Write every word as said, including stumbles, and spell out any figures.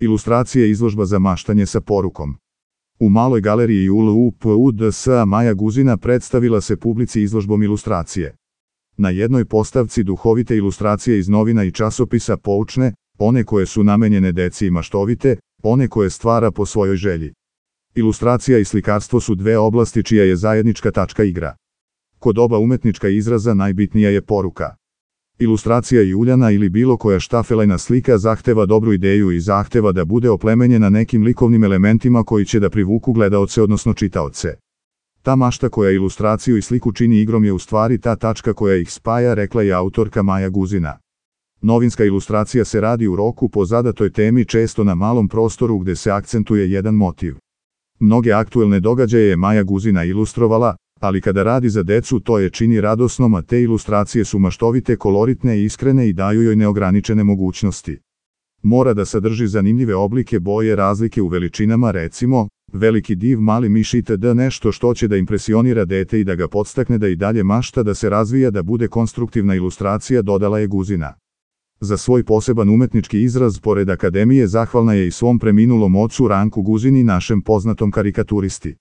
Ilustracija izložba za maštanje sa porukom. U maloj galeriji U L U P U D S A Maja Guzina predstavila se publici izložbom ilustracije. Na jednoj postavci duhovite ilustracije iz novina i časopisa, poučne, one koje su namenjene deci i maštovite, one koje stvara po svojoj želji. Ilustracija i slikarstvo su dve oblasti čija je zajednička tačka igra. Kod oba umetnička izraza najbitnija je poruka. Ilustracija Juljana ili bilo koja štafelajna slika zahteva dobru ideju i zahteva da bude oplemenjena nekim likovnim elementima koji će da privuku gledaoce odnosno čitaoce. Ta mašta koja ilustraciju i sliku čini igrom je u stvari ta tačka koja ih spaja, rekla je autorka Maja Guzina. Novinska ilustracija se radi u roku po zadatoj temi, često na malom prostoru gde se akcentuje jedan motiv. Mnoge aktuelne događaje je Maja Guzina ilustrovala, ali kada radi za decu to je čini radosnom, a te ilustracije su maštovite, koloritne i iskrene i daju joj neograničene mogućnosti. Mora da sadrži zanimljive oblike, boje, razlike u veličinama, recimo, veliki div, mali miš itd. Nešto što će da impresionira dete i da ga podstakne da i dalje mašta, da se razvija, da bude konstruktivna ilustracija, dodala je Guzina. Za svoj poseban umetnički izraz, pored akademije, zahvalna je i svom preminulom ocu Ranku Guzini, našem poznatom karikaturisti.